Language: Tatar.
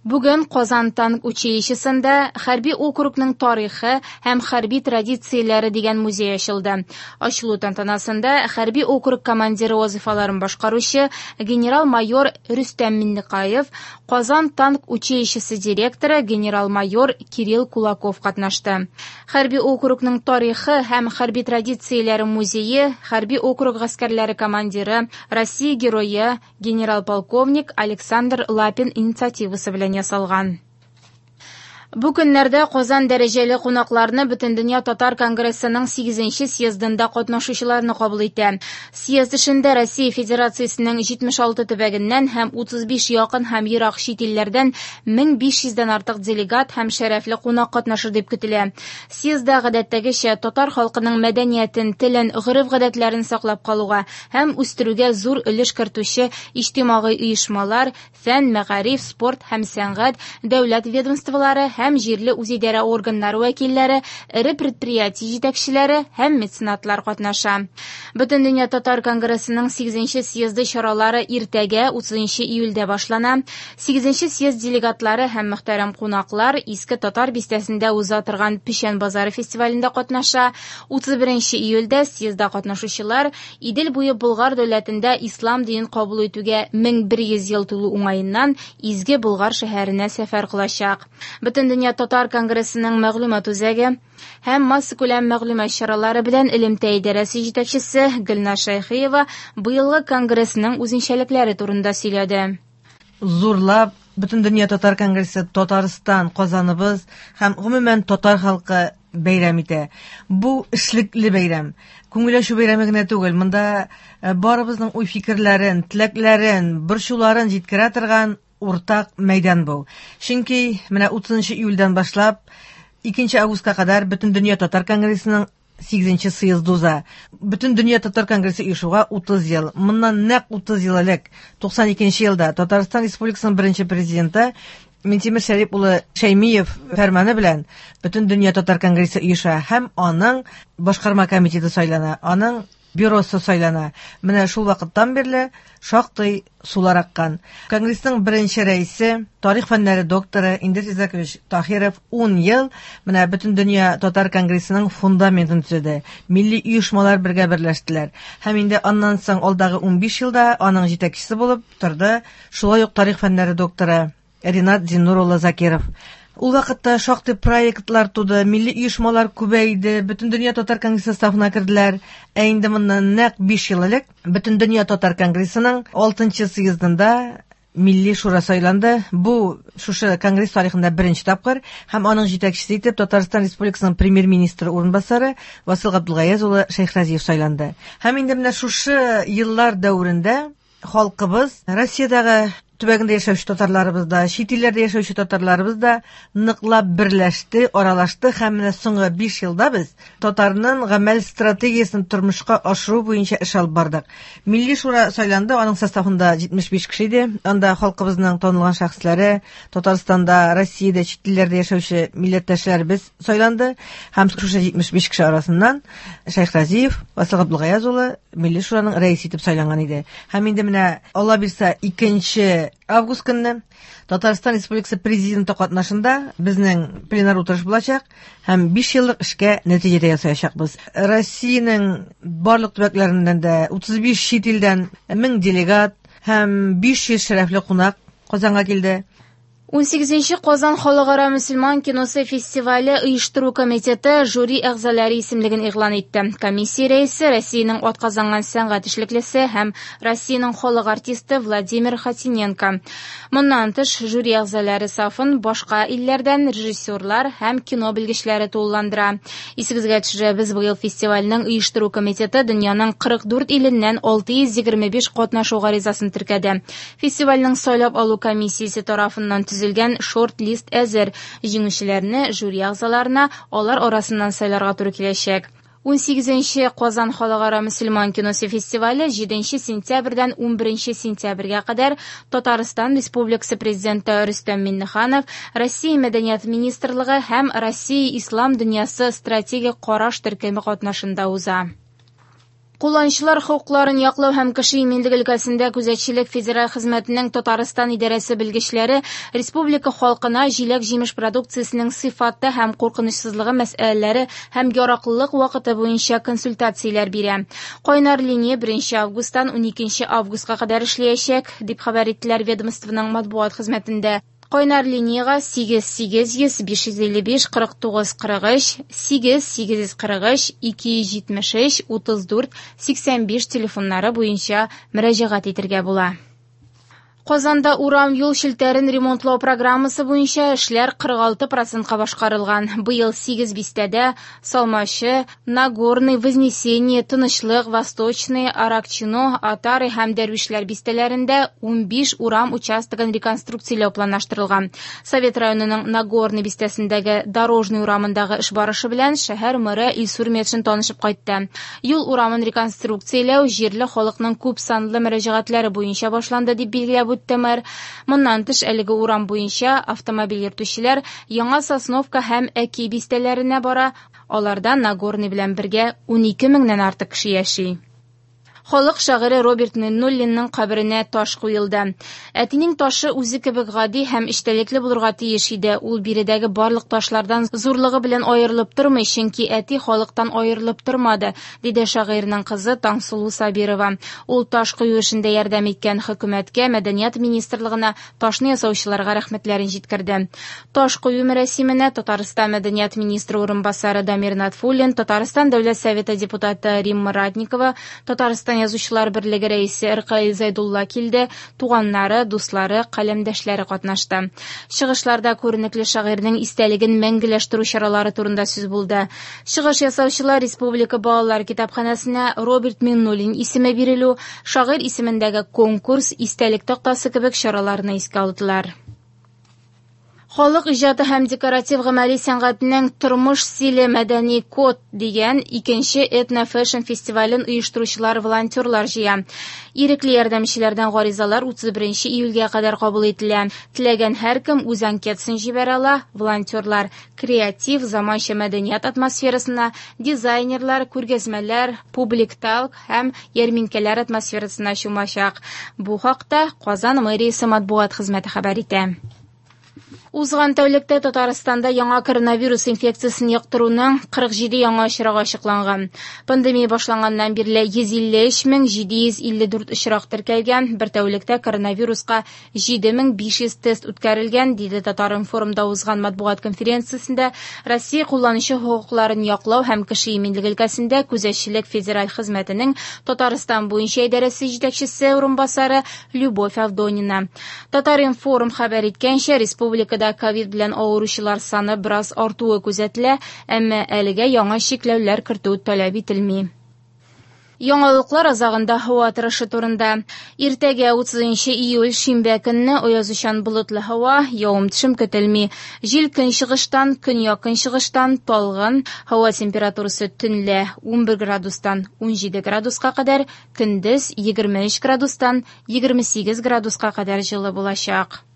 Бүген Казан танк училищесында Хәрби округның тарихы һәм хәрби традицияләре дигән музей ачылды. Ачылу тантанасында хәрби округ командиры вазыйфаларын башкаручы генерал-майор Рөстәм Миннекаев, Казан танк училищесы директоры генерал-майор Кирилл Кулаков катнашты. Хәрби округның тарихы һәм хәрби традицияләре музее хәрби округ гаскәрләре командиры, Россия герое, Генерал-полковник Александр Лапин инициативасы белән ясалган. Бу көннәрдә Казан дәрәҗәле кунакларны Бөтендөнья татар конгрессының 8 съездында катнашучыларны кабул итә. Съезд эшендә Россия Федерациясенең 76 төбәгеннән һәм 35 якын һәм ерак чит илләрдән 1500 дән артык делегат һәм шәрәфле кунак катнашыр дип көтелә. Съездда гадәттәгечә татар халкының мәдәниятен, телен, гореф-гадәтләрен саклап калуга һәм үстерүгә зур өлеш кертүче иҗтимагый оешмалар, фән, мәгариф, спорт һәм сәнгать, дәүләт ведомстволары һәм җирле үзидарә органнары вәкилләре, эре предприятие җитәкчеләре һәм меценатлар катнаша. Бөтендөнья татар конгрессының 8 съезды чаралары иртәгә, 30 июльдә башлана. 8 съезд делегатлары һәм мөхтәрәм кунаклар Иске Татар бистәсендә уза торган Печән базары фестивалендә катнаша. 31 июльдә съездда катнашучылар Идел буе Болгар дәүләтендә ислам динен кабул итүгә 1100 ел тулу уңаеннан Изге Болгар шәһәренә сәфәр кылачак. Бөтендөнья татар конгрессының мәгълүмат үзәге һәм массакүләм мәгълүмат чаралары белән элемтә идарәсе җитәкчесе Гөлназ Шәйхиева быелгы конгрессның үзенчәлекләре турында сөйләде. Зурлап Бөтендөнья татар конгрессы Татарстан, Казаныбыз һәм гомумән татар халкы бәйрәм итә. Бу эшлекле бәйрәм. Күңел ачу бәйрәме генә түгел. Монда э, барыбызның уй-фикерләрен, теләкләрен, борчуларын җиткерә торган уртак мәйдан бу. Чөнки менә 30 июльдән башлап 2 августка кадәр Бөтендөнья татар конгрессының 8 съезд уза. Бөтен дөнья татар конгрессы оешуга 30 ел. Моннан нәкъ 30 ел элек, 92 елда Татарстан Республикасының беренче президенты Минтимер Шәрип улы Шәймиев фәрманы белән Бөтен дөнья татар конгрессы оеша һәм аның башкарма комитеты сайлана, аның бюросы сайлана. Менә шул вакыттан бирле шактый сулар аккан. Конгрессның беренче рәисе, тарих фәннәре докторы Индир Изакович Таһиров 10 ел менә Бөтендөнья татар конгрессының фундаментын төзеде. Милли оешмалар бергә берләштеләр. Һәм инде аннан соң алдагы 15 елда аның җитәкчесе булып торды шулай ук тарих фәннәре докторы Ринат Зиннур улы Закиров. Ул вакытта шактый проектлар туды, милли оешмалар күбәйде, Бөтендөнья татар конгрессы составына керделәр. Ә инде моннан нәкъ 5 ел элек Бөтендөнья татар конгрессының 6 съездында Милли шура сайланды. Бу шушы конгресс тарихында беренче тапкыр һәм аның җитәкчесе итеп Татарстан Республикасының премьер-министры урынбасары Васил Габдулгаяз улы Шәйхразиев сайланды. Һәм инде менә шушы еллар дәверендә халкыбыз Россиядәге төбәгендә яшәүче татарларыбыз да, чит илләрдә яшәүче татарларыбыз да ныклап берләште, аралашты һәм менә соңгы 5 елда без татарның гамәл стратегиясен тормышка ашыру буенча эш алып бардык. Милли шура сайланды, аның составында 75 кеше иде. Анда халкыбызның танылган шәхесләре, Татарстанда, Россиядә, чит илләрдә яшәүче милләттәшләребез сайланды һәм шушы 75 кеше арасыннан Шәйхразиев Васил Габдулгаяз улы Милли шураның рәисе итеп сайланган иде. Һәм инде менә Алла бирсә 2 август көнне Татарстан Республикасы президенты катнашында безнең пленар утырыш булачак һәм 5 еллык эшкә нәтиҗә дә ясаячакбыз. Россиянең барлык төбәкләреннән дә 35 чит илдән 1000 делегат һәм 500 шәрәфле кунак Казанга килде. 18нче Казан халыкара мөселман киносы фестивале оештыру комитеты жюри әгъзалары исемлеген игълан итте. Комиссия рәисе Россиянең атказанган сәнгать эшлеклесе һәм Россиянең халык артисты Владимир Хотиненко. Моннан тыш, жюри әгъзалары сафын башка илләрдән режиссерлар һәм кино белгечләре тулыландыра. Исегезгә төшерәбез, быел фестивальнең оештыру комитеты дөньяның 44 иленнән 625 катнашу гаризасын теркәде. Фестивальнең сайлап алу комиссиясе тарафыннан төзелгән шорт-лист әзер. Җиңүчеләрне жюри әгъзаларына алар арасыннан сайларга туры киләчәк. 18нче Казан халыкара мөселман киносы фестивале 7 сентябрьдән 11 сентябрьгә кадәр Татарстан Республикасы Президенты Рөстәм Миңнеханов, Россия Мәдәният министрлыгы һәм Россия Ислам дөньясы стратегик караш төркеме катнашында уза. Кулланучылар хокукларын яклау һәм кеше иминлеге өлкәсендә күзәтчелек федераль хезмәтенең Татарстан идарәсе белгечләре республика халкына җиләк-җимеш продукциясенең сыйфаты һәм куркынычсызлыгы мәсьәләләре һәм яраклылык вакыты буенча консультацияләр бирә. Кайнар линия 1 августтан 12 августка кадәр эшләячәк, дип хәбәр иттеләр ведомствоның матбугат хезмәтендә. Кайнар линиягә 8 800 555 49 43, 8 843 273 34 85 телефоннары буенча мөрәҗәгать итәргә була. Казанда урам юл челтәрен ремонтлау программасы буенча эшләр 46 процентка башкарылган. Быел 8 бистәдә Салмачы, Нагорный, Вознесение, Тынычлык, Восточный, Аракчино, Атары һәм Дәрвишләр бистәләрендә 15 урам участогын реконструкцияләү планлаштырылган. Совет районының Нагорный бистәсендәге Дорожный урамындагы эш барышы белән шәһәр мэры Илсур Метшин танышып кайтты. Юл урамын реконструкцияләү җирле халыкның күп санлы мөрәҗәгатьләре буенча башланды, дип билгеләп үтте мэр. Моннан тыш, әлеге урам буенча автомобиль йөртүчеләр Яңа Сосновка һәм Әки бистәләренә бара, аларда Нагорный белән бергә 12 меңнән артык кеше яши. Халык шагыйре Роберт Миннуллинның каберенә таш куелды. Әтинең ташы үзе кебек гади һәм эчтәлекле булырга тиеш иде. Ул биредәге барлык ташлардан зурлыгы белән аерылып тормый, чөнки әти халыктан аерылып тормады, диде шагыйрьнең кызы Таңсылу Сабирова. Ул таш кую эшендә ярдәм иткән хөкүмәткә, мәдәният министрлыгына, ташны ясаучыларга рәхмәтләрен җиткерде. Таш кую мәрасименә Татарстан мәдәният министры урынбасары Дамир Натфуллин, Татарстан Дәүләт Советы депутаты Римма Ратникова, Татарстан Язучылар берлеге рәисе Ркаил Зәйдулла килде, туганнары, дуслары, каләмдәшләре катнашты. Чыгышларда күренекле шагыйрьнең истәлеген мәңгеләштерү чаралары турында сүз булды. Чыгыш ясаучылар Республика балалар китапханәсенә Роберт Миңнуллин исеме бирелү, шагыйрь исемендәге конкурс, истәлек тактасы кебек чараларны искә алдылар. Халык иҗаты һәм декоратив гамәли сәнгатенең Тормыш стиле мәдәни код дигән икенче этно-фэшн фестивален оештыручылар волонтерлар җыя. Ирекле ярдәмчеләрдән гаризалар 31 июльгә кадәр кабул ителә. Теләгән һәркем үз анкетасын җибәрә ала. Волонтерлар креатив, заманча мәдәният атмосферасына, дизайнерлар, күргәзмәләр, публик талк һәм ярминкәләр атмосферасына чумачак. Бу хакта Казан мэриясе матбугат хезмәте хәбәр итә. Узган тәүлектә Татарстанда яңа коронавирус инфекциясен йоктыруның 47 яңа очрагы ачыкланган. Пандемия башланганнан бирле 153 754 очрак теркәлгән. Бер тәүлектә коронавируска 7500 тест үткәрелгән, диде Татар-информда узган матбугат конференциясендә Россия кулланучы хокукларын яклау һәм кеше иминлеге өлкәсендә күзәтчелек федераль хезмәтенең Татарстан буенча идарәсе җитәкчесе урынбасары Любовь Авдонина. Татар-информ хәбәр иткәнчә, республикада ковид белән авыручылар саны бераз артуы күзәтелә, әмма әлегә яңа чикләүләр кертү таләп ителми. Яңалыклар азагында һава торышы турында. Иртәгә 30 июль шимбә көнне аязучан болытлы һава, явым-төшем көтелми. Җил көнчыгыштан, көньяк-көнчыгыштан талгын, һава температурасы төнлә 11 градустан 17 градуска кадәр, көндез 23 градустан 28 градуска кадәр җылы булачак.